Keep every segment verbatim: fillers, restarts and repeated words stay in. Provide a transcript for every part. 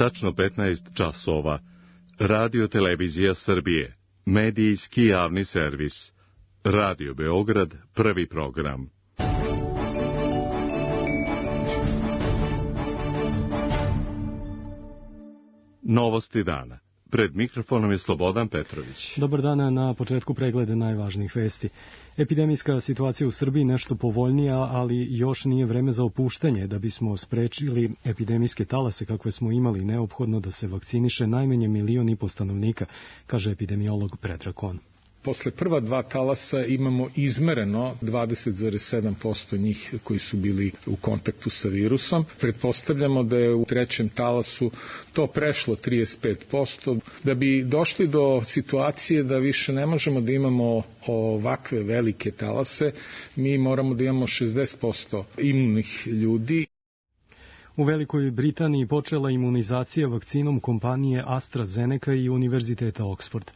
tačno petnaest časova. Radio Televizija Srbije, medijski javni servis. Radio Beograd, prvi program. Novosti dana. Pred mikrofonom je Slobodan Petrović. Dobar dan, na početku pregleda najvažnijih vesti. Epidemijska situacija u Srbiji nešto povoljnija, ali još nije vreme za opuštanje. Da bismo sprečili epidemijske talase kakve smo imali, neophodno da se vakciniše najmanje milion i po stanovnika, kaže epidemiolog Predrag Kon. Posle prva dva talasa imamo izmereno dvadeset zarez sedam posto njih koji su bili u kontaktu sa virusom. Pretpostavljamo da je u trećem talasu to prešlo trideset pet posto. Da bi došli do situacije da više ne možemo da imamo ovakve velike talase, mi moramo da imamo šezdeset posto imunih ljudi. U Velikoj Britaniji počela imunizacija vakcinom kompanije AstraZeneca i Univerziteta Oxford.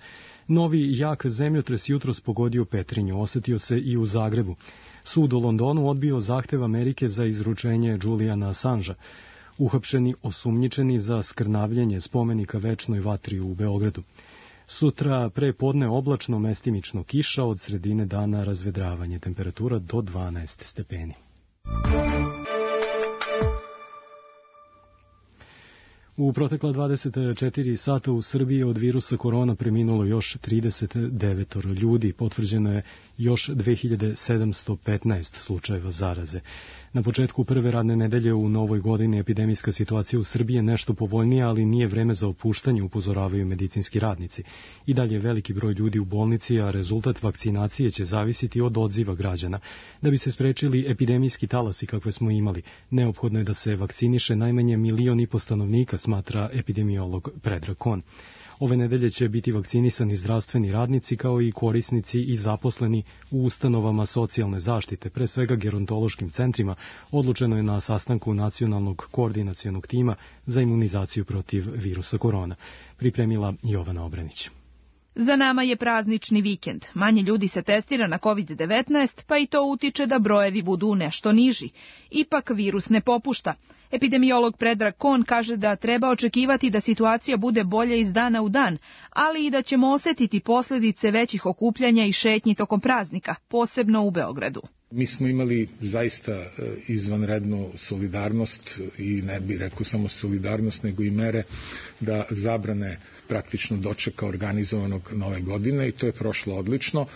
Novi jak zemljotres jutros pogodio Petrinju, osetio se i u Zagrebu. Sud u Londonu odbio zahtev Amerike za izručenje Juliana Assangea. Uhapšeni osumnjičeni za skrnavljenje spomenika večnoj vatri u Beogradu. Sutra pre podne oblačno, mestimično kiša, od sredine dana razvedravanje, temperatura do dvanaest stepeni. U protekla dvadeset četiri sata u Srbiji od virusa korona preminulo još trideset devet ljudi, potvrđeno je još dve hiljade sedamsto petnaest slučajeva zaraze. Na početku prve radne nedelje u novoj godini epidemijska situacija u Srbiji je nešto povoljnija, ali nije vreme za opuštanje, upozoravaju medicinski radnici. I dalje je veliki broj ljudi u bolnici, a rezultat vakcinacije će zavisiti od odziva građana. Da bi se sprečili epidemijski talasi kakve smo imali, neophodno je da se vakciniše najmanje milion i po stanovnika, smatra epidemiolog Predrag Kon. Ove nedelje će biti vakcinisani zdravstveni radnici kao i korisnici i zaposleni u ustanovama socijalne zaštite, pre svega gerontološkim centrima, odlučeno je na sastanku Nacionalnog koordinacionog tima za imunizaciju protiv virusa korona. Pripremila Jovana Obranić. Za nama je praznični vikend. Manje ljudi se testira na kovid devetnaest, pa i to utiče da brojevi budu nešto niži. Ipak virus ne popušta. Epidemiolog Predrag Kon kaže da treba očekivati da situacija bude bolja iz dana u dan, ali i da ćemo osetiti posljedice većih okupljanja i šetnji tokom praznika, posebno u Beogradu. Mi smo imali zaista izvanrednu solidarnost i ne bih rekao samo solidarnost, nego i mere da zabrane praktično dočeka organizovanog nove godine i to je prošlo odlično.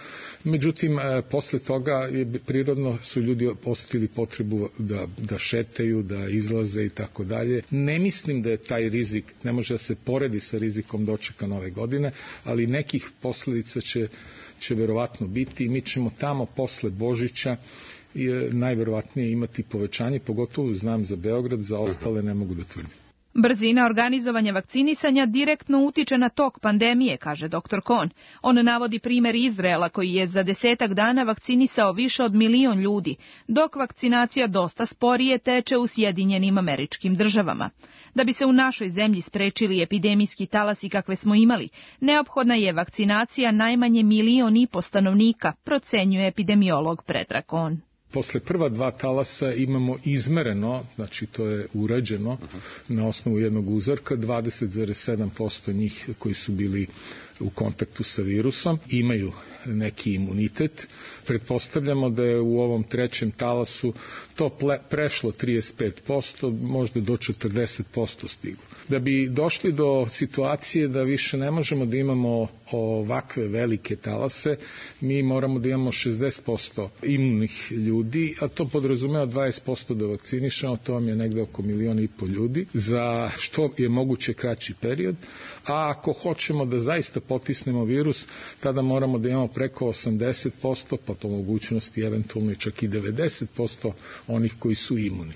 Međutim, posle toga je prirodno su ljudi osetili potrebu da, da šetaju, da izlaze i tako dalje. Ne mislim da je taj rizik, ne može da se poredi sa rizikom dočeka nove godine, ali nekih posledica će će verovatno biti i mi ćemo tamo posle Božića najverovatnije imati povećanje, pogotovo znam za Beograd, za ostale ne mogu da tvrdim. Brzina organizovanja vakcinisanja direktno utiče na tok pandemije, kaže doktor Kon. On navodi primer Izraela koji je za desetak dana vakcinisao više od milion ljudi, dok vakcinacija dosta sporije teče u Sjedinjenim Američkim Državama. Da bi se u našoj zemlji sprečili epidemijski talasi kakve smo imali, neophodna je vakcinacija najmanje milion i po stanovnika, procenjuje epidemiolog Predrag Kon. Posle prva dva talasa imamo izmereno, znači to je urađeno na osnovu jednog uzorka, dvadeset zarez sedam posto njih koji su bili u kontaktu sa virusom imaju neki imunitet. Pretpostavljamo da je u ovom trećem talasu to prešlo trideset pet posto, možda do četrdeset posto stiglo. Da bi došli do situacije da više ne možemo da imamo ovakve velike talase, mi moramo da imamo šezdeset posto imunih ljudi, a to podrazumeva dvadeset posto da vakcinišemo, to vam je negde oko milion i po ljudi, za što je moguće kraći period, a ako hoćemo da zaista potisnemo virus, tada moramo da imamo preko osamdeset posto, pa po mogućnosti eventualno čak i devedeset posto onih koji su imuni.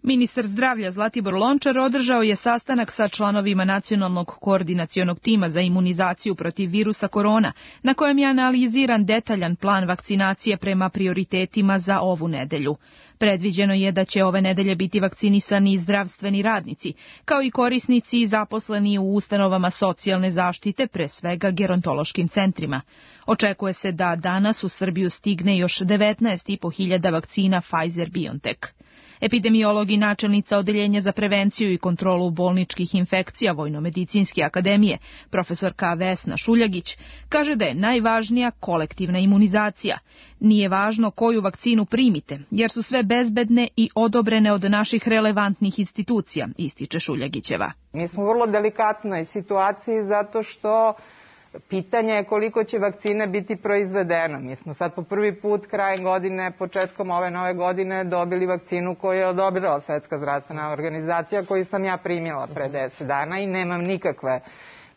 Ministar zdravlja Zlatibor Lončar održao je sastanak sa članovima Nacionalnog koordinacionog tima za imunizaciju protiv virusa korona, na kojem je analiziran detaljan plan vakcinacije prema prioritetima za ovu nedelju. Predviđeno je da će ove nedelje biti vakcinisani i zdravstveni radnici, kao i korisnici i zaposleni u ustanovama socijalne zaštite, pre svega gerontološkim centrima. Očekuje se da danas u Srbiju stigne još devetnaest i po hiljada vakcina Pfizer-BioNTech. Epidemiolog i načelnica Odeljenja za prevenciju i kontrolu bolničkih infekcija Vojnomedicinske akademije, profesorka Vesna Šuljagić, kaže da je najvažnija kolektivna imunizacija. Nije važno koju vakcinu primite, jer su sve bezbedne i odobrene od naših relevantnih institucija, ističe Šuljagićeva. Mi smo u vrlo delikatnoj situaciji zato što pitanje je koliko će vakcine biti proizvedeno. Mi smo sad po prvi put krajem godine, početkom ove nove godine dobili vakcinu koju je odobrila Svetska zdravstvena organizacija, koju sam ja primila pre deset dana i nemam nikakve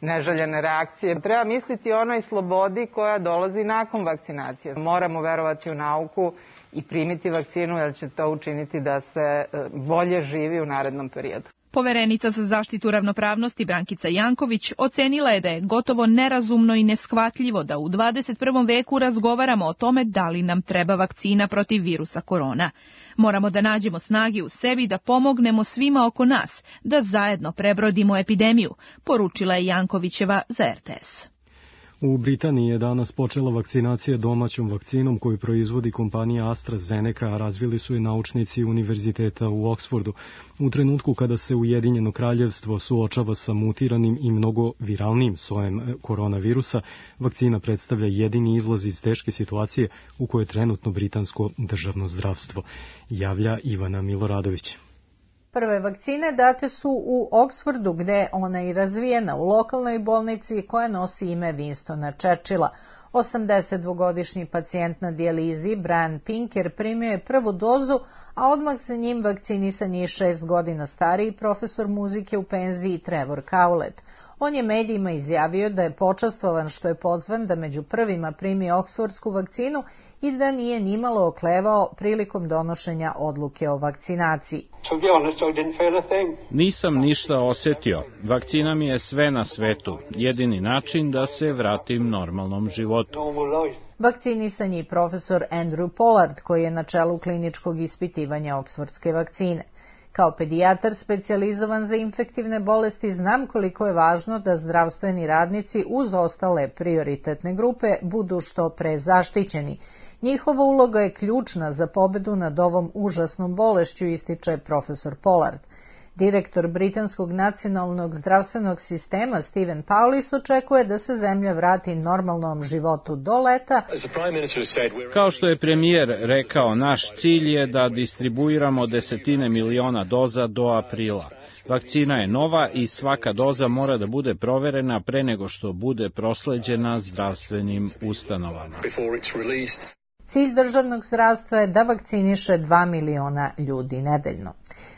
neželjene reakcije. Treba misliti o onoj slobodi koja dolazi nakon vakcinacije. Moramo verovati u nauku i primiti vakcinu, jer će to učiniti da se bolje živi u narednom periodu. Poverenica za zaštitu ravnopravnosti Brankica Janković ocenila je da je gotovo nerazumno i neshvatljivo da u dvadeset prvom veku razgovaramo o tome da li nam treba vakcina protiv virusa korona. Moramo da nađemo snage u sebi da pomognemo svima oko nas, da zajedno prebrodimo epidemiju, poručila je Jankovićeva za R T S. U Britaniji je danas počela vakcinacija domaćom vakcinom koju proizvodi kompanija AstraZeneca, a razvili su je naučnici Univerziteta u Oksfordu. U trenutku kada se Ujedinjeno kraljevstvo suočava sa mutiranim i mnogo viralnim sojem koronavirusa, vakcina predstavlja jedini izlaz iz teške situacije u kojoj je trenutno britansko državno zdravstvo, javlja Ivana Miloradović. Prve vakcine date su u Oksfordu, gde je ona i razvijena u lokalnoj bolnici koja nosi ime Winstona Churchilla. osamdesetdvogodišnji pacijent na dijalizi Brian Pinker primio je prvu dozu, a odmah za njim vakcinisan je šest godina stariji profesor muzike u penziji Trevor Cowlett. On je medijima izjavio da je počastvovan što je pozvan da među prvima primi oksfordsku vakcinu i da nije nimalo oklevao prilikom donošenja odluke o vakcinaciji. Nisam ništa osetio. Vakcina mi je sve na svetu. Jedini način da se vratim normalnom životu. Vakcinisan je i profesor Andrew Pollard, koji je na čelu kliničkog ispitivanja oksfordske vakcine. Kao pedijatar specijalizovan za infektivne bolesti znam koliko je važno da zdravstveni radnici uz ostale prioritetne grupe budu što pre zaštićeni. Njihova uloga je ključna za pobedu nad ovom užasnom bolešću, ističe profesor Pollard. Direktor Britanskog nacionalnog zdravstvenog sistema Stephen Paulis očekuje da se zemlja vrati normalnom životu do leta. Kao što je premijer rekao, naš cilj je da distribuiramo desetine miliona doza do aprila. Vakcina je nova i svaka doza mora da bude proverena pre nego što bude prosleđena zdravstvenim ustanovama. Cilj državnog zdravstva je da vakciniše dva miliona ljudi nedeljno.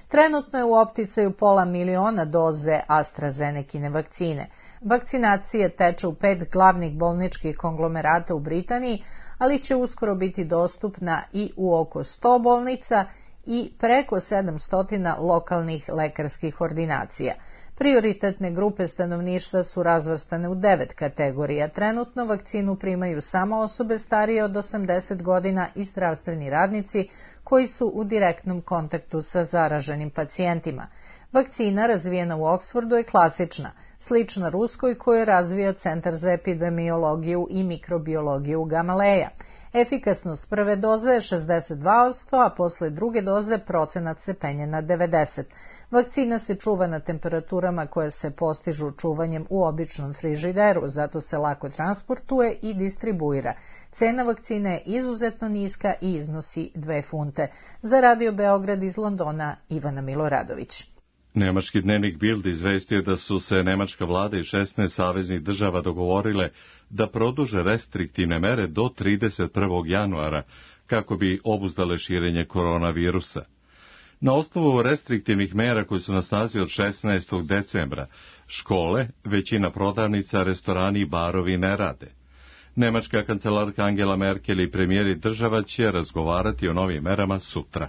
Trenutno je u opticaju pola miliona doze AstraZenecine vakcine. Vakcinacija teče u pet glavnih bolničkih konglomerata u Britaniji, ali će uskoro biti dostupna i u oko sto bolnica i preko sedamsto lokalnih lekarskih ordinacija. Prioritetne grupe stanovništva su razvrstane u devet kategorija. Trenutno vakcinu primaju samo osobe starije od osamdeset godina i zdravstveni radnici koji su u direktnom kontaktu sa zaraženim pacijentima. Vakcina razvijena u Oksfordu je klasična, slična ruskoj koju je razvio Centar za epidemiologiju i mikrobiologiju Gamaleja. Efikasnost prve doze je šezdeset dva posto, a posle druge doze procenat se penje na devedeset posto. Vakcina se čuva na temperaturama koje se postižu čuvanjem u običnom frižideru, zato se lako transportuje i distribuira. Cena vakcine je izuzetno niska i iznosi dve funte. Za Radio Beograd iz Londona, Ivana Miloradović. Nemački dnevnik Bild izvestio da su se nemačka vlada i šesnaest saveznih država dogovorile da produže restriktivne mere do trideset prvog januara kako bi obuzdale širenje koronavirusa. Na osnovu restriktivnih mera koje su na snazi od šesnaestog decembra, škole, većina prodavnica, restorani i barovi ne rade. Nemačka kancelarka Angela Merkel i premijeri država će razgovarati o novim merama sutra.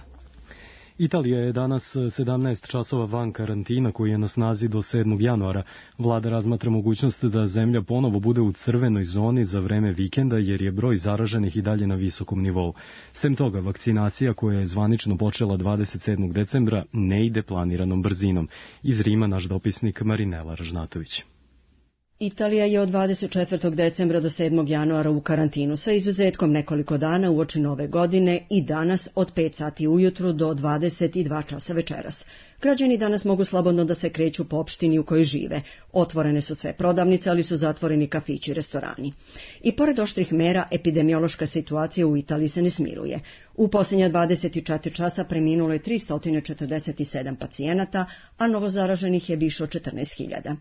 Italija je danas sedamnaest časova van karantina koji je na snazi do sedmog januara. Vlada razmatra mogućnost da zemlja ponovo bude u crvenoj zoni za vreme vikenda jer je broj zaraženih i dalje na visokom nivou. Sem toga, vakcinacija koja je zvanično počela dvadeset sedmog decembra ne ide planiranom brzinom. Iz Rima naš dopisnik Marinela Ražnatović. Italija je od dvadeset četvrtog decembra do sedmog januara u karantinu, sa izuzetkom nekoliko dana uoči nove godine i danas od pet sati ujutru do dvadeset dva časa večeras. Građani danas mogu slobodno da se kreću po opštini u kojoj žive. Otvorene su sve prodavnice, ali su zatvoreni kafići i restorani. I pored oštrih mera, epidemiološka situacija u Italiji se ne smiruje. U posljednja dvadeset četiri časa preminulo je tristo četrdeset sedam pacijenata, a novozaraženih je više od četrnaest hiljada.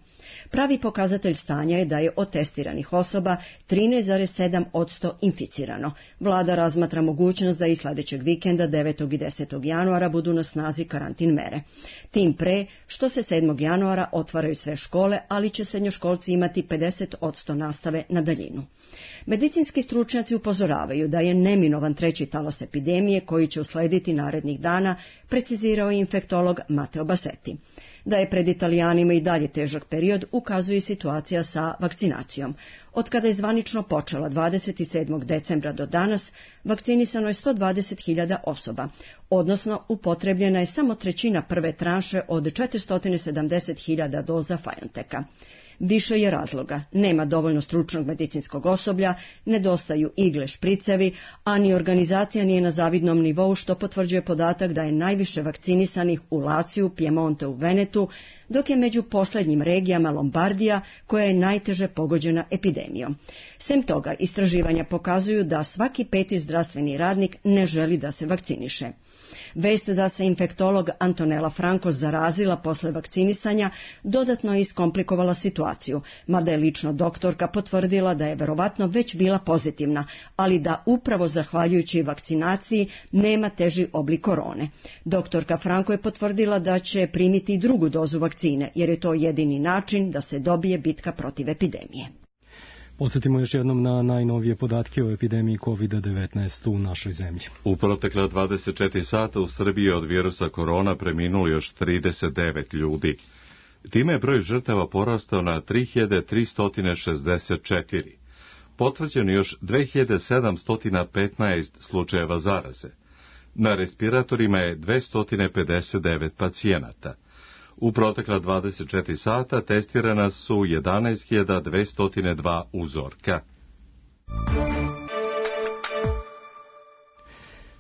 Pravi pokazatelj stanja je da je od testiranih osoba trinaest zarez sedam posto inficirano. Vlada razmatra mogućnost da i sledećeg vikenda devetog i desetog januara budu na snazi karantin mere. Tim pre što se sedmog januara otvaraju sve škole, ali će srednjoškolci imati pedeset posto nastave na daljinu. Medicinski stručnjaci upozoravaju da je neminovan treći talas epidemije koji će uslediti narednih dana, precizirao je infektolog Matteo Bassetti. Da je pred Italijanima i dalje težak period, ukazuje situacija sa vakcinacijom. Od kada je zvanično počela dvadeset sedmog decembra do danas, vakcinisano je sto dvadeset hiljada osoba, odnosno upotrebljena je samo trećina prve tranše od četiristo sedamdeset hiljada doza Bionteka. Više je razloga. Nema dovoljno stručnog medicinskog osoblja, nedostaju igle, špricevi, a ni organizacija nije na zavidnom nivou, što potvrđuje podatak da je najviše vakcinisanih u Laciju, Piemonte u Venetu, dok je među posljednjim regijama Lombardija, koja je najteže pogođena epidemijom. Sem toga, istraživanja pokazuju da svaki peti zdravstveni radnik ne želi da se vakciniše. Vest da se infektolog Antonella Franco zarazila posle vakcinisanja dodatno je iskomplikovala situaciju, mada je lično doktorka potvrdila da je verovatno već bila pozitivna, ali da upravo zahvaljujući vakcinaciji nema teži oblik korone. Doktorka Franco je potvrdila da će primiti drugu dozu vakcine, jer je to jedini način da se dobije bitka protiv epidemije. Podsjetimo još jednom na najnovije podatke o epidemiji kovid devetnaest u našoj zemlji. U protekla dvadeset četiri sata u Srbiji od virusa korona preminulo još trideset devet ljudi. Time je broj žrtava porastao na tri hiljade tristo šezdeset četiri. Potvrđeno još dve hiljade sedamsto petnaest slučajeva zaraze. Na respiratorima je dvesta pedeset devet pacijenata. U protekla dvadeset četiri sata testirana su jedanaest hiljada dvesta dva uzorka.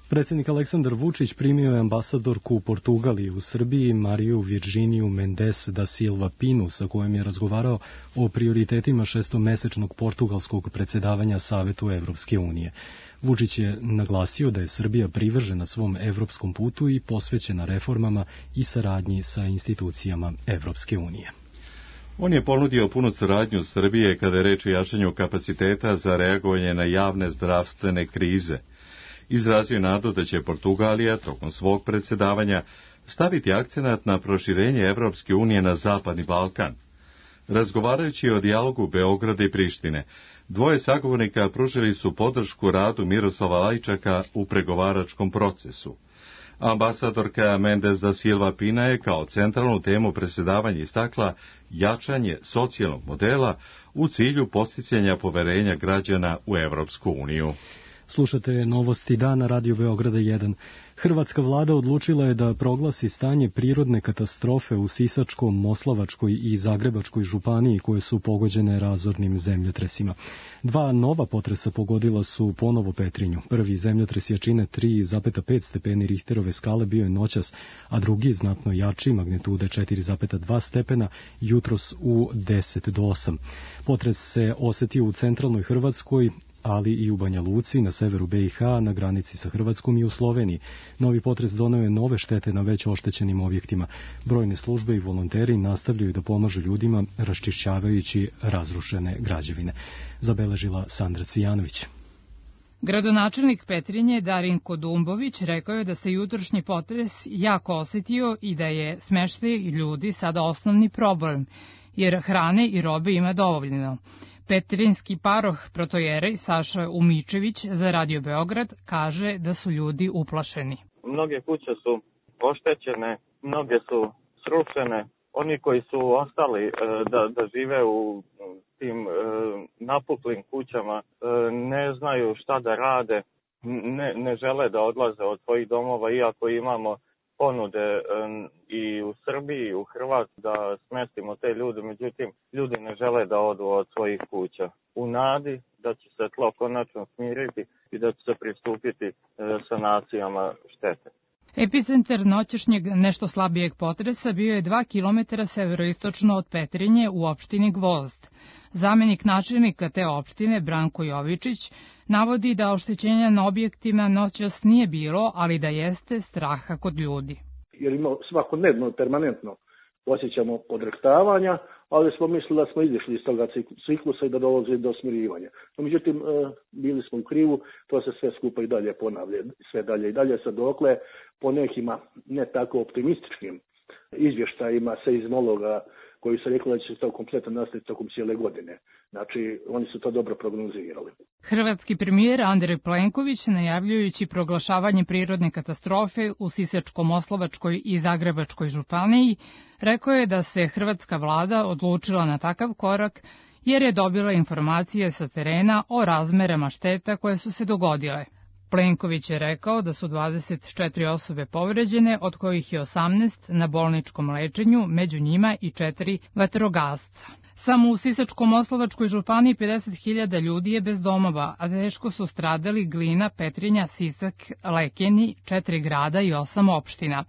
Predsjednik Aleksandar Vučić primio je ambasadorku Portugalije u Srbiji Mariju Virginiju Mendes da Silva Pinu, sa kojom je razgovarao o prioritetima šestomesečnog portugalskog predsjedavanja Savetu Evropske unije. Vučić je naglasio da je Srbija privržena svom evropskom putu i posvećena reformama i saradnji sa institucijama Evropske unije. On je ponudio punu saradnju Srbije kada je reč o jačanju kapaciteta za reagovanje na javne zdravstvene krize. Izrazio je nadu da će Portugalija tokom svog predsjedavanja staviti akcenat na proširenje Evropske unije na Zapadni Balkan. Razgovarajući o dijalogu Beograda i Prištine, dvoje sagovornika pružili su podršku radu Miroslava Lajčaka u pregovaračkom procesu. Ambasadorka Mendes da Silva Pina je kao centralnu temu predsjedavanja istakla jačanje socijalnog modela u cilju posticanja poverenja građana u Evropsku uniju. Slušate novosti dana Radio Beograda jedan. Hrvatska vlada odlučila je da proglasi stanje prirodne katastrofe u Sisačkom, Moslavačkoj i Zagrebačkoj županiji koje su pogođene razornim zemljotresima. Dva nova potresa pogodila su ponovo Petrinju. Prvi zemljotres jačine tri zarez pet stepeni Richterove skale bio je noćas, a drugi znatno jači magnitude četiri zarez dva stepena jutros u deset do osam. Potres se osetio u centralnoj Hrvatskoj, ali i u Banja Luci, na severu be i ha, na granici sa Hrvatskom i u Sloveniji. Novi potres doneo je nove štete na već oštećenim objektima. Brojne službe i volonteri nastavljaju da pomažu ljudima raščišćavajući razrušene građevine. Zabeležila Sandra Cvijanović. Gradonačelnik Petrinje Darinko Dumbović rekao je da se jutrošnji potres jako osetio i da je smeštaj ljudi sada osnovni problem, jer hrane i robe ima dovoljno. Petrinjski paroh protojerej Saša Umičević za Radio Beograd kaže da su ljudi uplašeni. Mnoge kuće su oštećene, mnoge su srušene. Oni koji su ostali da, da žive u tim napuklim kućama ne znaju šta da rade, ne, ne žele da odlaze od svojih domova, iako imamo ponude i u Srbiji i u Hrvatskoj da smestimo te ljude, međutim ljudi ne žele da odu od svojih kuća. U nadi da će se tlo konačno smiriti i da će se pristupiti sanacijama štete. Epicentar noćašnjeg nešto slabijeg potresa bio je dva kilometra severoistočno od Petrinje u opštini Gvozd. Zamenik načelnika te opštine, Branko Jovičić, navodi da oštećenja na objektima noćas nije bilo, ali da jeste straha kod ljudi. Jer ima svakodnevno, permanentno osjećamo podrektavanja, ali smo mislili da smo izišli iz toga ciklusa i da dolazi do smirivanja. No, međutim, bili smo u krivu, to se sve skupa i dalje ponavlja, sve dalje i dalje, sad dokle po nekima ne tako optimističnim izvještajima seizmologa koji su rekli da će se to kompletno nastaviti tokom cijele godine. Znači, oni su to dobro prognozirali. Hrvatski premijer Andrej Plenković, najavljujući proglašavanje prirodne katastrofe u Sisačko-Moslavačkoj i Zagrebačkoj županiji, rekao je da se hrvatska vlada odlučila na takav korak jer je dobila informacije sa terena o razmerama šteta koje su se dogodile. Plenković je rekao da su dvadeset četiri osobe povređene, od kojih je osamnaest na bolničkom lečenju, među njima i četiri vatrogasca. Samo u Sisačko-Moslavačkoj županiji pedeset hiljada ljudi je bez domova, a teško su stradali Glina, Petrinja, Sisak, Lekeni, četiri grada i osam opština.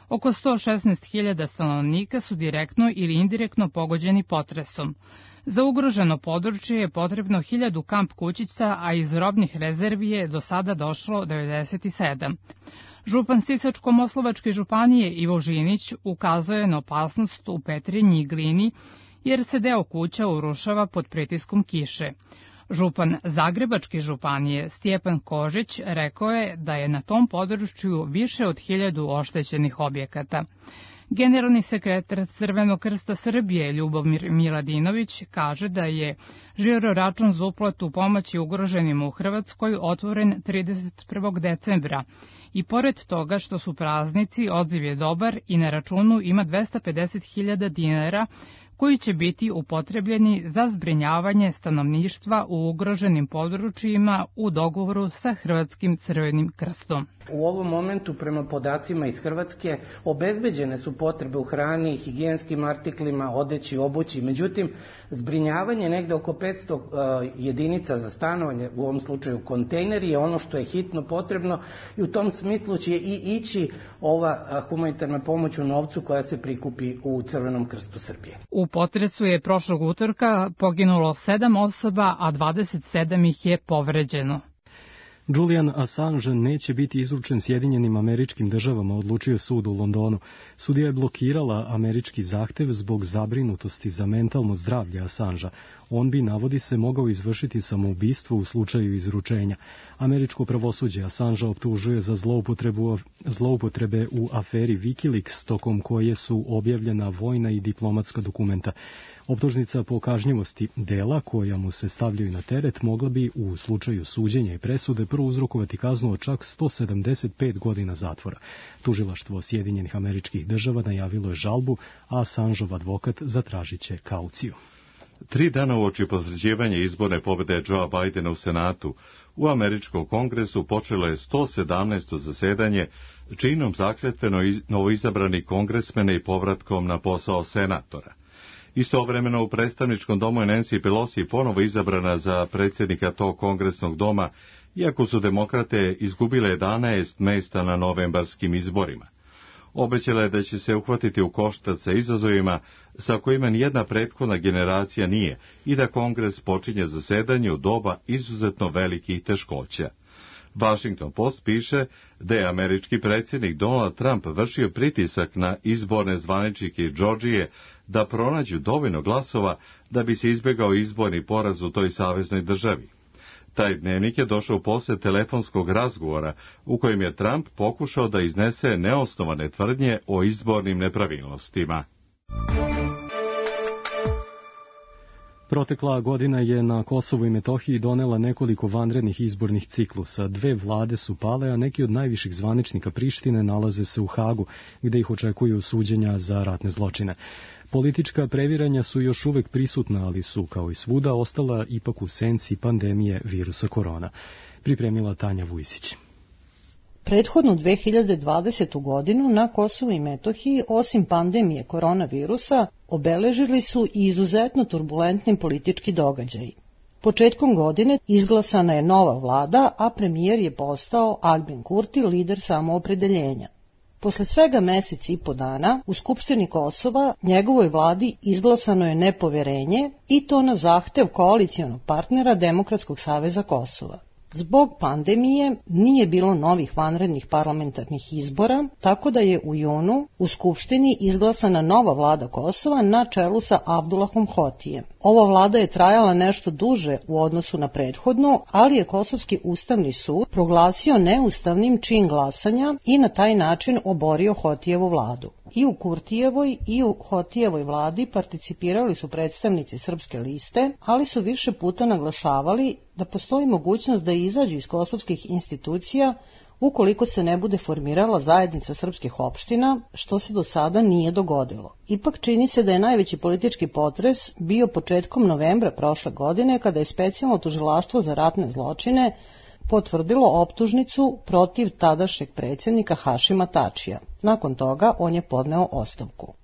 Oko sto šesnaest hiljada stanovnika su direktno ili indirektno pogođeni potresom. Za ugroženo područje je potrebno hiljadu kamp kućica, a iz robnih rezervi je do sada došlo devedeset sedam. Župan Sisačko-Moslavačke županije Ivo Žinić ukazuje na opasnost u Petrinji i Glini, jer se deo kuća urušava pod pritiskom kiše. Župan Zagrebačke županije Stjepan Kožić rekao je da je na tom području više od hiljadu oštećenih objekata. Generalni sekretar Crvenog krsta Srbije Ljubomir Miladinović kaže da je žiro račun za uplatu pomoći ugroženima u Hrvatskoj otvoren trideset prvog decembra i pored toga što su praznici, odziv je dobar i na računu ima dvesta pedeset hiljada dinara koji će biti upotrebljeni za zbrinjavanje stanovništva u ugroženim područjima u dogovoru sa Hrvatskim Crvenim krstom. U ovom momentu, prema podacima iz Hrvatske, obezbeđene su potrebe u hrani, higijenskim artiklima, odeći, obući. Međutim, zbrinjavanje negde oko petsto uh, jedinica za stanovanje, u ovom slučaju kontejneri, je ono što je hitno potrebno i u tom smislu će i ići ova uh, humanitarna pomoć u novcu koja se prikupi u Crvenom krstu Srbije. U potresu je prošlog utorka poginulo sedam osoba, a dvadeset sedam ih je povređeno. Julian Assange neće biti izručen Sjedinjenim Američkim Državama, odlučio sud u Londonu. Sudija je blokirala američki zahtev zbog zabrinutosti za mentalno zdravlje Assangea. On bi, navodi se, mogao izvršiti samoubistvo u slučaju izručenja. Američko pravosuđe Assangea optužuje za zloupotrebu, zloupotrebe u aferi Wikileaks, tokom koje su objavljena vojna i diplomatska dokumenta. Optužnica po kažnjivosti dela koja mu se stavljaju na teret mogla bi u slučaju suđenja i presude prouzrokovati kaznu od čak sto sedamdeset pet godina zatvora. Tužilaštvo Sjedinjenih Američkih Država najavilo je žalbu, a Assangeov advokat zatražit će kauciju. Tri dana uoči potvrđivanja izborne pobjede Joea Bidena u Senatu, u Američkom kongresu počelo je sto sedamnaesto zasedanje, činom zakletveno novoizabrani kongresmene i povratkom na posao senatora. Istovremeno u predstavničkom domu je Nancy Pelosi ponovo izabrana za predsjednika tog kongresnog doma, iako su demokrate izgubile jedanaest mesta na novembarskim izborima. Obećala je da će se uhvatiti u koštac sa izazovima sa kojima nijedna prethodna generacija nije i da kongres počinje zasedanje u doba izuzetno velikih teškoća. Washington Post piše da je američki predsjednik Donald Trump vršio pritisak na izborne zvaničnike iz Džordžije da pronađu dovoljno glasova da bi se izbjegao izborni poraz u toj saveznoj državi. Taj dnevnik je došao posle telefonskog razgovora u kojem je Trump pokušao da iznese neosnovane tvrdnje o izbornim nepravilnostima. Protekla godina je na Kosovu i Metohiji donela nekoliko vanrednih izbornih ciklusa. Dve vlade su pale, a neki od najviših zvaničnika Prištine nalaze se u Hagu, gde ih očekuju suđenja za ratne zločine. Politička previranja su još uvek prisutna, ali su, kao i svuda, ostala ipak u senci pandemije virusa korona. Pripremila Tanja Vujsić. Prethodnu dve hiljade dvadesete. godinu na Kosovu i Metohiji, osim pandemije koronavirusa, obeležili su i izuzetno turbulentni politički događaji. Početkom godine izglasana je nova vlada, a premijer je postao Albin Kurti, lider samoopredeljenja. Posle svega mesec i po dana, u Skupštini Kosova njegovoj vladi izglasano je nepoverenje i to na zahtev koalicijonog partnera Demokratskog saveza Kosova. Zbog pandemije nije bilo novih vanrednih parlamentarnih izbora, tako da je u junu u Skupštini izglasana nova vlada Kosova na čelu sa Abdullahom Hotijem. Ova vlada je trajala nešto duže u odnosu na prethodnu, ali je Kosovski ustavni sud proglasio neustavnim čin glasanja i na taj način oborio Hotijevu vladu. I u Kurtijevoj i u Hotijevoj vladi participirali su predstavnici Srpske liste, ali su više puta naglašavali da postoji mogućnost da izađu iz kosovskih institucija ukoliko se ne bude formirala zajednica srpskih opština, što se do sada nije dogodilo. Ipak čini se da je najveći politički potres bio početkom novembra prošle godine, kada je specijalno tužilaštvo za ratne zločine potvrdilo optužnicu protiv tadašnjeg predsjednika Hašima Tačija. Nakon toga on je podneo ostavku.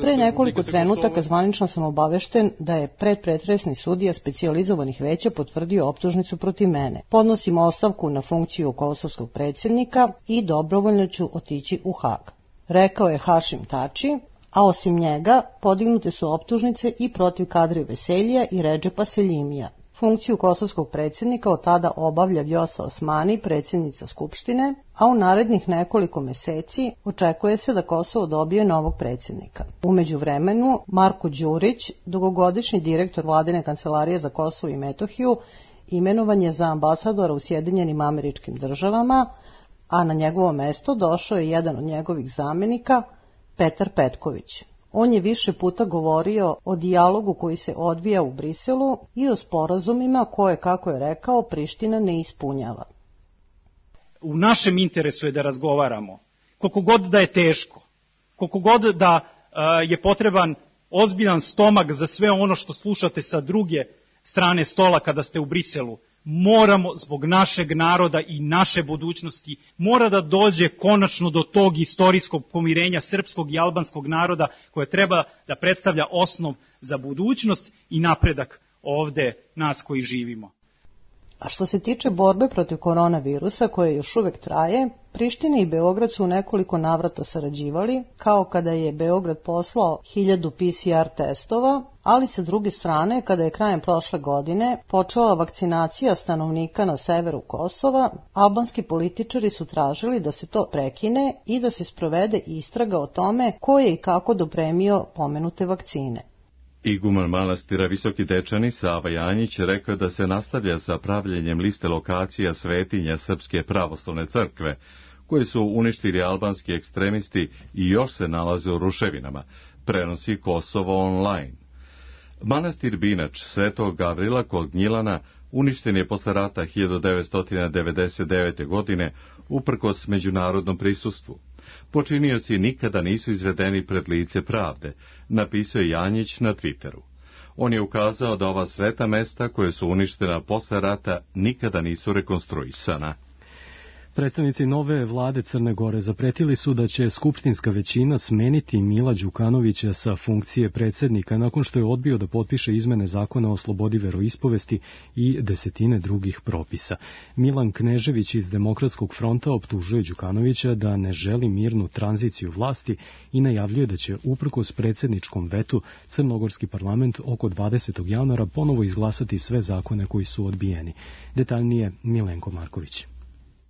Pre nekoliko trenutaka zvanično sam obavešten da je predpretresni sudija specijalizovanih veća potvrdio optužnicu protiv mene. Podnosim ostavku na funkciju kosovskog predsjednika i dobrovoljno ću otići u Hag, rekao je Hašim Tači, a osim njega podignute su optužnice i protiv Kadri Veseljija i Redžepa Seljimija. Funkciju kosovskog predsjednika od tada obavlja Vjosa Osmani, predsjednica Skupštine, a u narednih nekoliko meseci očekuje se da Kosovo dobije novog predsjednika. U međuvremenu, Marko Đurić, dugogodišnji direktor vladine kancelarije za Kosovo i Metohiju, imenovan je za ambasadora u Sjedinjenim Američkim Državama, a na njegovo mesto došao je jedan od njegovih zamenika, Petar Petković. On je više puta govorio o dijalogu koji se odvija u Briselu i o sporazumima koje, kako je rekao, Priština ne ispunjava. U našem interesu je da razgovaramo, koliko god da je teško, koliko god da uh, je potreban ozbiljan stomak za sve ono što slušate sa druge strane stola kada ste u Briselu. Moramo, zbog našeg naroda i naše budućnosti, mora da dođe konačno do tog istorijskog pomirenja srpskog i albanskog naroda koje treba da predstavlja osnov za budućnost i napredak ovde nas koji živimo. A što se tiče borbe protiv koronavirusa koje još uvek traje, Priština i Beograd su u nekoliko navrata sarađivali, kao kada je Beograd poslao hiljadu P C R testova, ali sa druge strane, kada je krajem prošle godine počela vakcinacija stanovnika na severu Kosova, albanski političari su tražili da se to prekine i da se sprovede istraga o tome ko je i kako dopremio pomenute vakcine. Iguman manastira Visoki Dečani Sava Janjić rekao da se nastavlja sa pravljenjem liste lokacija svetinja Srpske pravoslavne crkve, koje su uništili albanski ekstremisti i još se nalaze u ruševinama, prenosi Kosovo online. Manastir Binač Svetog Gavrila kod Gnjilana uništen je posle rata hiljadu devetsto devedeset devete. godine uprkos međunarodnom prisustvu. Počinioci nikada nisu izvedeni pred lice pravde, napisao je Janjić na Twitteru. On je ukazao da ova sveta mesta koje su uništena posle rata nikada nisu rekonstruisana. Predstavnici nove vlade Crne Gore zapretili su da će skupštinska većina smeniti Mila Đukanovića sa funkcije predsjednika nakon što je odbio da potpiše izmene zakona o slobodi veroispovesti i desetine drugih propisa. Milan Knežević iz Demokratskog fronta optužuje Đukanovića da ne želi mirnu tranziciju vlasti i najavljuje da će uprkos predsjedničkom vetu Crnogorski parlament oko dvadesetog januara ponovo izglasati sve zakone koji su odbijeni. Detaljnije Milenko Marković.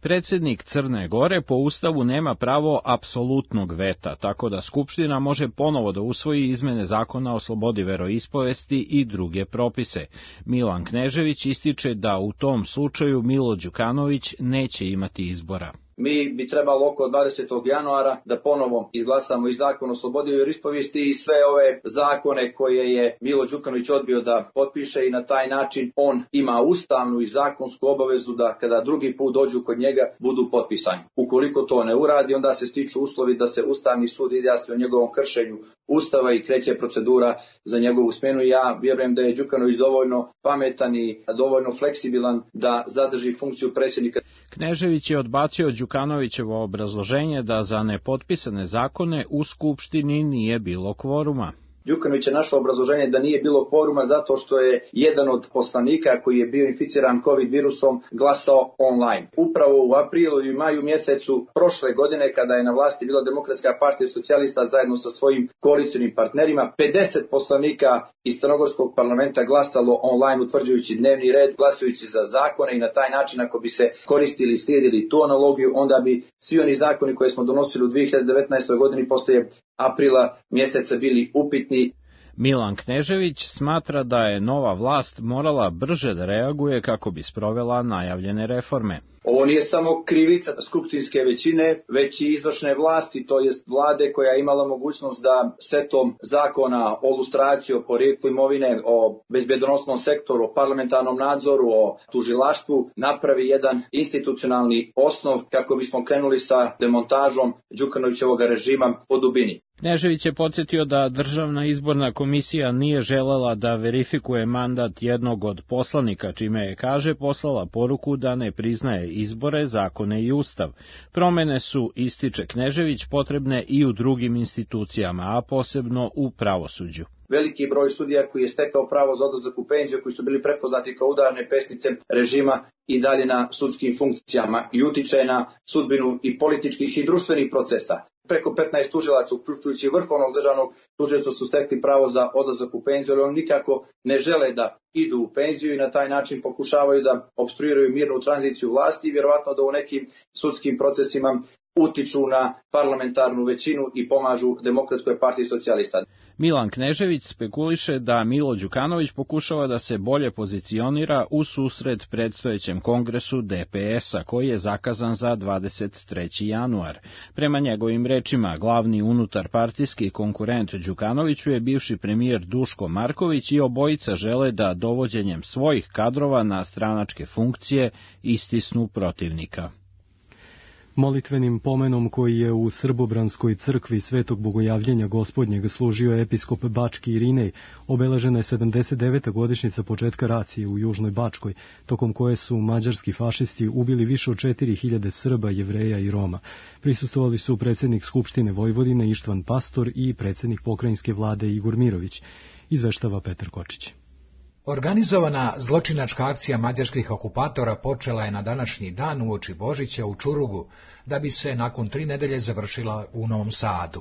Predsjednik Crne Gore po Ustavu nema pravo apsolutnog veta, tako da Skupština može ponovo da usvoji izmene zakona o slobodi veroispovesti i druge propise. Milan Knežević ističe da u tom slučaju Milo Đukanović neće imati izbora. mi bi trebalo oko dvadesetog januara da ponovo izglasamo i zakon o slobodi vjeroispovijesti i sve ove zakone koje je Milo Đukanović odbio da potpiše i na taj način on ima ustavnu i zakonsku obavezu da kada drugi put dođu kod njega budu potpisani. Ukoliko to ne uradi, onda se stiču uslovi da se Ustavni sud izjasni o njegovom kršenju Ustava i kreće procedura za njegovu smjenu. Ja vjerujem da je Đukanović dovoljno pametan i dovoljno fleksibilan da zadrži funkciju predsjednika. Knežević je odbacio Đukanovićevo obrazloženje da za nepotpisane zakone u Skupštini nije bilo kvoruma. Đukanović je našao obrazloženje da nije bilo kvoruma zato što je jedan od poslanika koji je bio inficiran COVID virusom glasao online. Upravo u aprilu i maju mjesecu prošle godine, kada je na vlasti bila Demokratska partija socijalista zajedno sa svojim koalicionim partnerima, pedeset poslanika iz crnogorskog parlamenta glasalo online utvrđujući dnevni red, glasajući za zakone i na taj način ako bi se koristili i slijedili tu analogiju, onda bi svi oni zakoni koje smo donosili u dvije hiljade devetnaestoj godini poslije aprila mjeseca bili upitni. Milan Knežević smatra da je nova vlast morala brže da reaguje kako bi sprovela najavljene reforme. Ovo nije samo krivica skupštinske većine, već i izvršne vlasti, to jest vlade koja je imala mogućnost da setom zakona o lustraciji, o porijeklu imovine, o bezbjedonosnom sektoru, o parlamentarnom nadzoru, o tužilaštvu napravi jedan institucionalni osnov kako bismo krenuli sa demontažom Đukanovićevog režima po dubini. Knežević je podsjetio da Državna izborna komisija nije želela da verifikuje mandat jednog od poslanika, čime je, kaže, poslala poruku da ne priznaje izbore, zakone i ustav. Promene su, ističe Knežević, potrebne i u drugim institucijama, a posebno u pravosuđu. Veliki broj sudija koji je stekao pravo za odlazak u penziju, koji su bili prepoznati kao udarne pesnice režima i dalje na sudskim funkcijama i utiče na sudbinu i političkih i društvenih procesa. Preko petnaest tužilaca, uključujući vrhovnog državnog tužioca, su stekli pravo za odlazak u penziju, ali oni nikako ne žele da idu u penziju i na taj način pokušavaju da opstruiraju mirnu tranziciju vlasti i vjerovatno da u nekim sudskim procesima utiču na parlamentarnu većinu i pomažu Demokratskoj partiji socijalista. Milan Knežević spekuliše da Milo Đukanović pokušava da se bolje pozicionira u susret predstojećem kongresu D P S-a, koji je zakazan za dvadeset treći januar. Prema njegovim rečima, glavni unutarpartijski konkurent Đukanoviću je bivši premijer Duško Marković i obojica žele da dovođenjem svojih kadrova na stranačke funkcije istisnu protivnika. Molitvenim pomenom koji je u Srbobranskoj crkvi Svetog Bogojavljenja Gospodnjeg služio episkop Bački Irinej, obeležena je sedamdeset deveta godišnjica početka racije u Južnoj Bačkoj, tokom koje su mađarski fašisti ubili više od četiri hiljade Srba, Jevreja i Roma. Prisustvovali su predsjednik Skupštine Vojvodine Ištvan Pastor i predsjednik pokrajinske vlade Igor Mirović, izveštava Petar Kočić. Organizovana zločinačka akcija mađarskih okupatora počela je na današnji dan uoči Božića u Čurugu, da bi se nakon tri nedelje završila u Novom Sadu.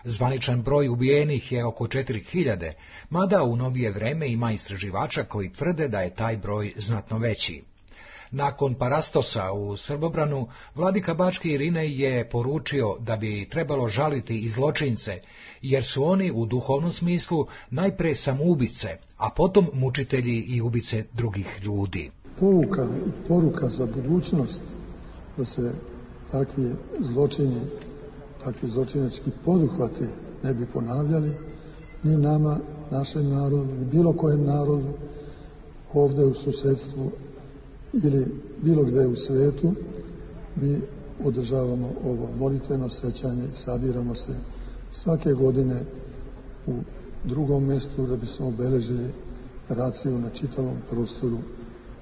Zvaničan broj ubijenih je oko četiri hiljade, mada u novije vreme ima istraživača koji tvrde da je taj broj znatno veći. Nakon Parastosa u Srbobranu, vladika Bački Irinej je poručio da bi trebalo žaliti i zločince, jer su oni u duhovnom smislu najpre samoubice, a potom mučitelji i ubice drugih ljudi. Pouka i poruka za budućnost da se takvi zločini, takvi zločinački poduhvati ne bi ponavljali ni nama, našem narodu, ni bilo kojem narodu ovdje u susedstvu ili bilo gde u svijetu. Mi održavamo ovo molitveno sećanje i sabiramo se svake godine u drugom mjestu da bismo obeležili raciju na čitavom prostoru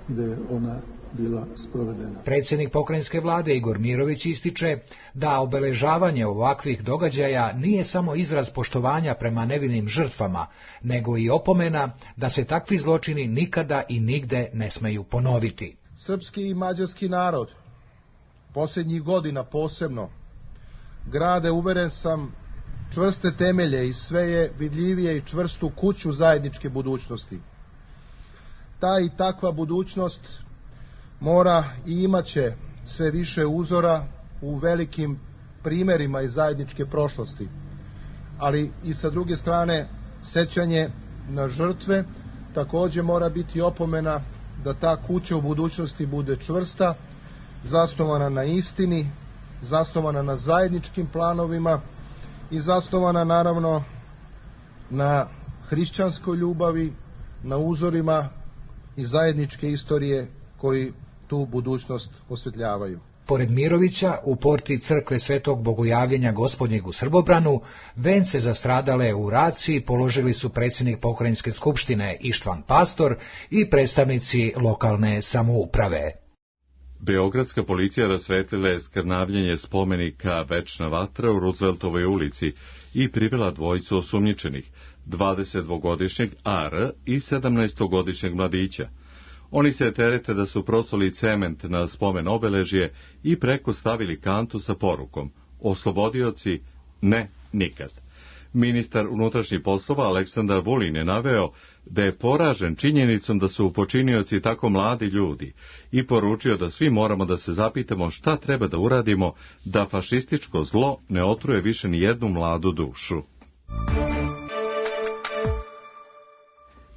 gdje je ona bila sprovedena. Predsjednik pokrajinske vlade Igor Mirović ističe da obeležavanje ovakvih događaja nije samo izraz poštovanja prema nevinim žrtvama, nego i opomena da se takvi zločini nikada i nigde ne smeju ponoviti. Srpski i mađarski narod, posljednjih godina posebno, grade, uveren sam, čvrste temelje i sve je vidljivije i čvrstu kuću zajedničke budućnosti. Ta i takva budućnost mora i imaće sve više uzora u velikim primjerima iz zajedničke prošlosti, ali i sa druge strane sećanje na žrtve također mora biti opomena da ta kuća u budućnosti bude čvrsta, zasnovana na istini, zasnovana na zajedničkim planovima i zasnovana naravno na hrišćanskoj ljubavi, na uzorima i zajedničke istorije koji tu budućnost osvetljavaju. Pored Mirovića, u porti crkve Svetog Bogojavljenja Gospodnjeg u Srbobranu, vence za stradale u raciji položili su predsjednik pokrajinske skupštine Ištvan Pastor i predstavnici lokalne samouprave. Beogradska policija rasvetlila je skrnavljenje spomenika Večna vatra u Rooseveltovoj ulici i privela dvojicu osumnjičenih, dvadesetdvogodišnjeg A R i sedamnaestogodišnjeg mladića. Oni se terete da su prosuli cement na spomen obeležje i preko stavili kantu sa porukom oslobodioci ne nikad. Ministar unutrašnjih poslova Aleksandar Vulin je naveo da je poražen činjenicom da su počinioci tako mladi ljudi i poručio da svi moramo da se zapitamo šta treba da uradimo da fašističko zlo ne otruje više ni jednu mladu dušu.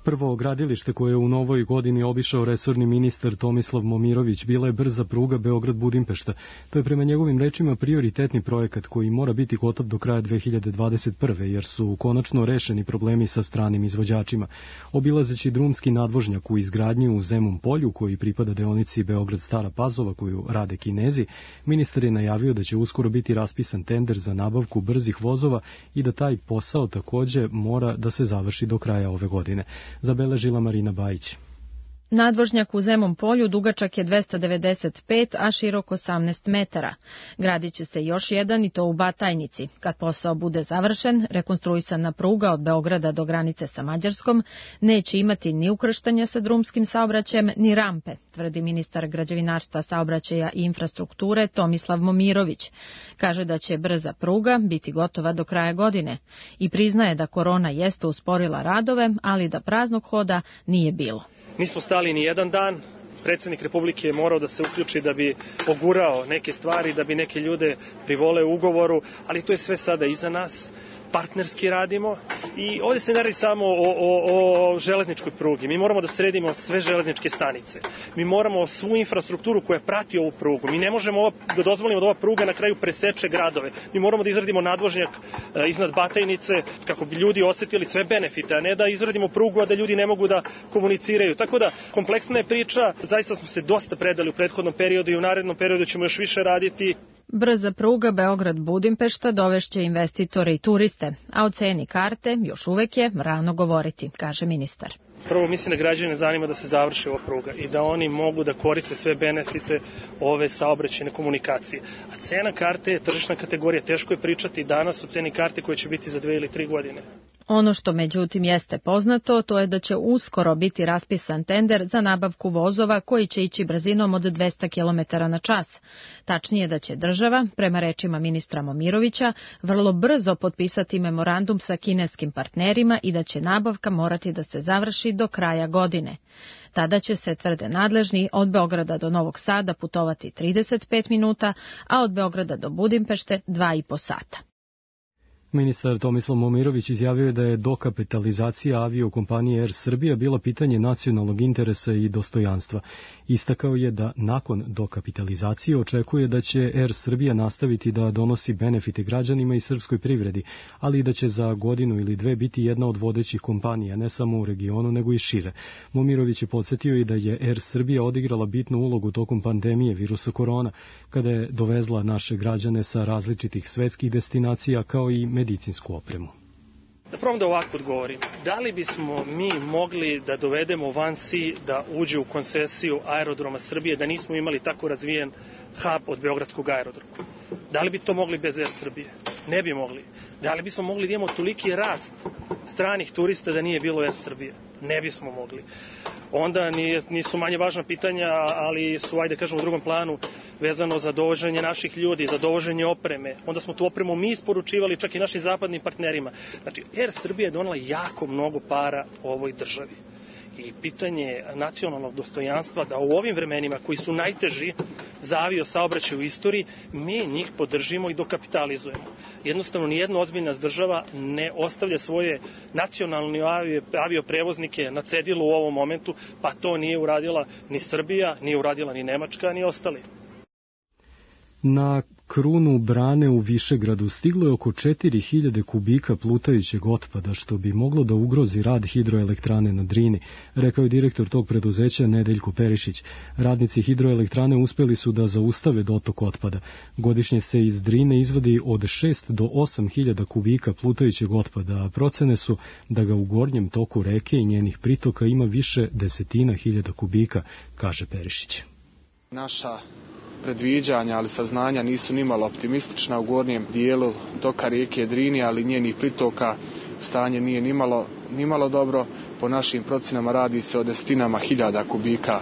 Prvo gradilište koje je u novoj godini obišao resorni ministar Tomislav Momirović bila je brza pruga Beograd-Budimpešta. To je prema njegovim rečima prioritetni projekat koji mora biti gotov do kraja dve hiljade dvadeset prve. jer su konačno rešeni problemi sa stranim izvođačima. Obilazeći drumski nadvožnjak u izgradnji u Zemun polju koji pripada deonici Beograd-Stara Pazova koju rade Kinezi, ministar je najavio da će uskoro biti raspisan tender za nabavku brzih vozova i da taj posao takođe mora da se završi do kraja ove godine. Zabeležila Marina Bajić. Nadvožnjak u Zemun polju dugačak je dvesta devedeset pet, a širok osamnaest metara. Gradit će se još jedan i to u Batajnici. Kad posao bude završen, rekonstruisana pruga od Beograda do granice sa Mađarskom neće imati ni ukrštanja sa drumskim saobraćajem, ni rampe, tvrdi ministar građevinarstva, saobraćaja i infrastrukture Tomislav Momirović. Kaže da će brza pruga biti gotova do kraja godine i priznaje da korona jeste usporila radove, ali da praznog hoda nije bilo. Nismo stali ni jedan dan, predsjednik Republike je morao da se uključi da bi pogurao neke stvari, da bi neke ljude privole u ugovoru, ali to je sve sada iza nas. Partnerski radimo i ovdje se ne radi samo o, o, o železničkoj prugi. Mi moramo da sredimo sve železničke stanice. Mi moramo svu infrastrukturu koja prati ovu prugu. Mi ne možemo ova, da dozvolimo da ova pruga na kraju preseče gradove. Mi moramo da izradimo nadvožnjak e, iznad Batajnice kako bi ljudi osjetili sve benefite, a ne da izradimo prugu, a da ljudi ne mogu da komuniciraju. Tako da, kompleksna je priča. Zaista smo se dosta predali u prethodnom periodu i u narednom periodu ćemo još više raditi. Brza pruga Beograd-Budimpešta dovešće investitore i turiste, a o ceni karte još uvek je rano govoriti, kaže ministar. Prvo mislim da građane zanima da se završi ova pruga i da oni mogu da koriste sve benefite ove saobraćajne komunikacije. A cena karte je tržišna kategorija, teško je pričati danas o ceni karte koja će biti za dve ili tri godine. Ono što međutim jeste poznato, to je da će uskoro biti raspisan tender za nabavku vozova koji će ići brzinom od dvesta kilometara na čas. Tačnije da će država, prema rečima ministra Momirovića, vrlo brzo potpisati memorandum sa kineskim partnerima i da će nabavka morati da se završi do kraja godine. Tada će se, tvrde nadležni, od Beograda do Novog Sada putovati trideset pet minuta, a od Beograda do Budimpešte dva i po sata. Ministar Tomislav Momirović izjavio je da je dokapitalizacija aviokompanije Air Srbija bila pitanje nacionalnog interesa i dostojanstva. Istakao je da nakon dokapitalizacije očekuje da će Air Srbija nastaviti da donosi benefite građanima i srpskoj privredi, ali i da će za godinu ili dve biti jedna od vodećih kompanija, ne samo u regionu, nego i šire. Momirović je podsjetio i da je Air Srbija odigrala bitnu ulogu tokom pandemije virusa korona, kada je dovezla naše građane sa različitih svetskih destinacija kao i medicinsku opremu. Da probam da ovako odgovorim. Da li bismo mi mogli da dovedemo Vansi da uđe u koncesiju aerodroma Srbije, da nismo imali tako razvijen hub od Beogradskog aerodroma? Da li bi to mogli bez Air Srbije? Ne bi mogli. Da li bismo mogli da imamo toliki rast stranih turista da nije bilo Air Srbije? Ne bismo mogli. Onda nije, nisu manje važna pitanja, ali su, ajde kažemo, u drugom planu vezano za dovoženje naših ljudi, za dovoženje opreme. Onda smo tu opremu mi isporučivali čak i našim zapadnim partnerima. Znači, Air Srbija je donela jako mnogo para ovoj državi. I pitanje nacionalnog dostojanstva da u ovim vremenima koji su najteži za avio saobraćaj u istoriji, mi njih podržimo i dokapitalizujemo. Jednostavno, nijedna ozbiljna država ne ostavlja svoje nacionalne avioprevoznike na cedilu u ovom momentu, pa to nije uradila ni Srbija, nije uradila ni Nemačka, ni ostali. Na krunu brane u Višegradu stiglo je oko četiri hiljade kubika plutajućeg otpada, što bi moglo da ugrozi rad hidroelektrane na Drini, rekao je direktor tog preduzeća Nedeljko Perišić. Radnici hidroelektrane uspeli su da zaustave dotok otpada. Godišnje se iz Drine izvadi od šest do osam hiljada kubika plutajućeg otpada, a procene su da ga u gornjem toku reke i njenih pritoka ima više desetina hiljada kubika, kaže Perišić. Naša predviđanja, ali saznanja nisu nimalo optimistična. U gornjem dijelu toka rijeke Drini, ali njenih pritoka, stanje nije nimalo, nimalo dobro. Po našim procenama radi se o desetinama hiljada kubika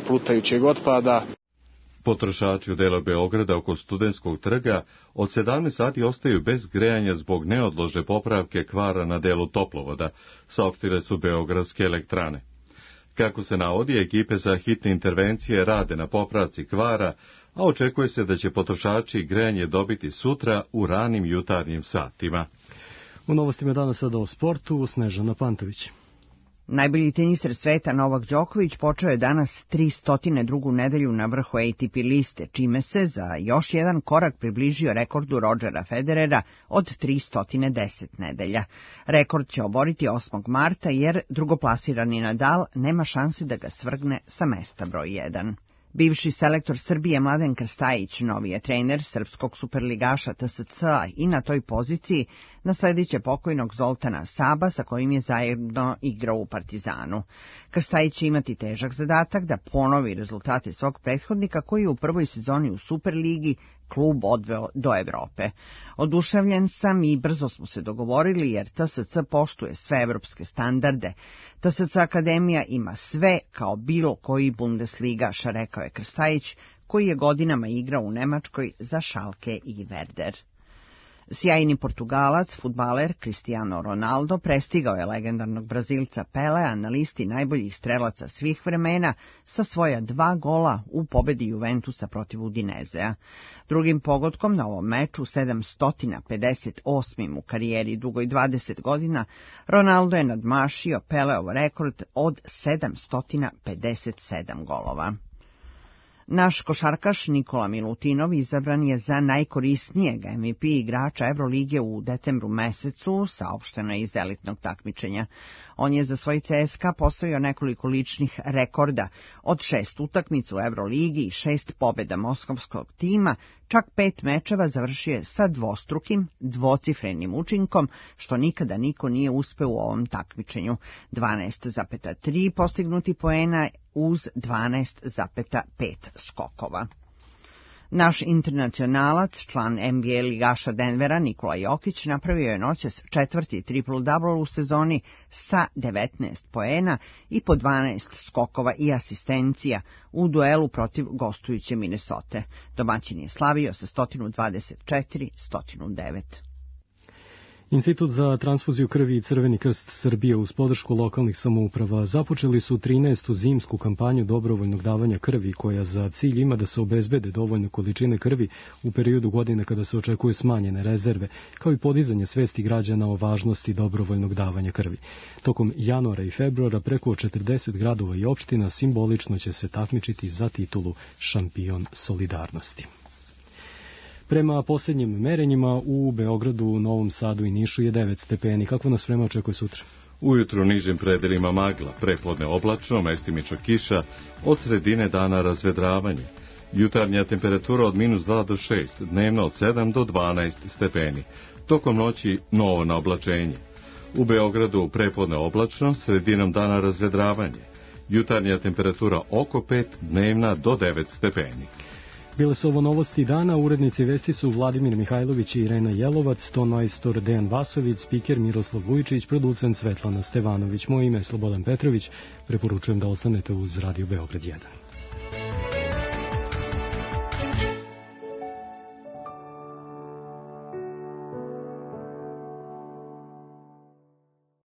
plutajućeg otpada. Potrošači u delu Beograda oko Studentskog trga od sedamnaest sati ostaju bez grejanja zbog neodložne popravke kvara na delu toplovoda, saopštile su beogradske elektrane. Kako se navodi, ekipe za hitne intervencije rade na popravci kvara, a očekuje se da će potrošači grejanje dobiti sutra u ranim jutarnjim satima. U novostima danas sada o sportu, Snežana Pantović. Najbolji teniser sveta Novak Đoković počeo je danas tristo drugu nedelju na vrhu A T P liste, čime se za još jedan korak približio rekordu Rodgera Federera od tristo deset nedelja. Rekord će oboriti osmog marta jer drugoplasirani Nadal nema šanse da ga svrgne sa mesta broj jedan. Bivši selektor Srbije Mladen Krstajić novi je trener srpskog superligaša T S C-a i na toj poziciji naslediće pokojnog Zoltana Saba sa kojim je zajedno igrao u Partizanu. Krstajić će imati težak zadatak da ponovi rezultate svog prethodnika koji je u prvoj sezoni u Superligi klub odveo do Evrope. Oduševljen sam i brzo smo se dogovorili jer T S C poštuje sve evropske standarde. T S C Akademija ima sve kao bilo koji Bundesligaš, rekao je Krstajić, koji je godinama igrao u Nemačkoj za Schalke i Werder. Sjajni Portugalac, fudbaler Cristiano Ronaldo prestigao je legendarnog Brazilca Pelea na listi najboljih strelaca svih vremena sa svoja dva gola u pobedi Juventusa protiv Udinezea. Drugim pogodkom na ovom meču, sedamsto pedeset osmim u karijeri dugoj dvadeset godina, Ronaldo je nadmašio Peleov rekord od sedamsto pedeset sedam golova. Naš košarkaš Nikola Milutinov izabran je za najkorisnijeg M V P igrača Evrolige u decembru mesecu, saopšteno je iz elitnog takmičenja. On je za svoj C S K A postavio nekoliko ličnih rekorda, od šest utakmica u Evroligi i šest pobjeda moskovskog tima, čak pet mečeva završio je sa dvostrukim, dvocifrenim učinkom, što nikada niko nije uspeo u ovom takmičenju. dvanaest zarez tri postignuti poena uz dvanaest zarez pet skokova. Naš internacionalac, član N B A ligaša Denvera Nikola Jokić, napravio je noćas četvrti triple-double u sezoni sa devetnaest poena i po dvanaest skokova i asistencija u duelu protiv gostujuće Minnesote. Domaćin je slavio sa sto dvadeset četiri sto devet. Institut za transfuziju krvi i Crveni krst Srbije uz podršku lokalnih samouprava započeli su trinaestu zimsku kampanju dobrovoljnog davanja krvi koja za cilj ima da se obezbede dovoljne količine krvi u periodu godine kada se očekuje smanjene rezerve, kao i podizanje svesti građana o važnosti dobrovoljnog davanja krvi. Tokom januara i februara preko četrdeset gradova i opština simbolično će se takmičiti za titulu šampion solidarnosti. Prema posljednjim merenjima u Beogradu, Novom Sadu i Nišu je devet stepeni. Kako nas vreme očekuje sutra? Ujutru u nižim predelima magla, prepodne oblačno, mestimično kiša, od sredine dana razvedravanje. Jutarnja temperatura od minus dva do šest, dnevno od sedam do dvanaest stepeni. Tokom noći novo na oblačenje. U Beogradu prepodne oblačno, sredinom dana razvedravanje. Jutarnja temperatura oko pet, dnevna do devet stepeni. Bile su ovo novosti dana, urednici vesti su Vladimir Mihajlović i Irena Jelovac, ton majstor Dejan Vasović, spiker Miroslav Vujčić, producent Svetlana Stevanović. Moje ime je Slobodan Petrović, preporučujem da ostanete uz Radio Beograd jedan.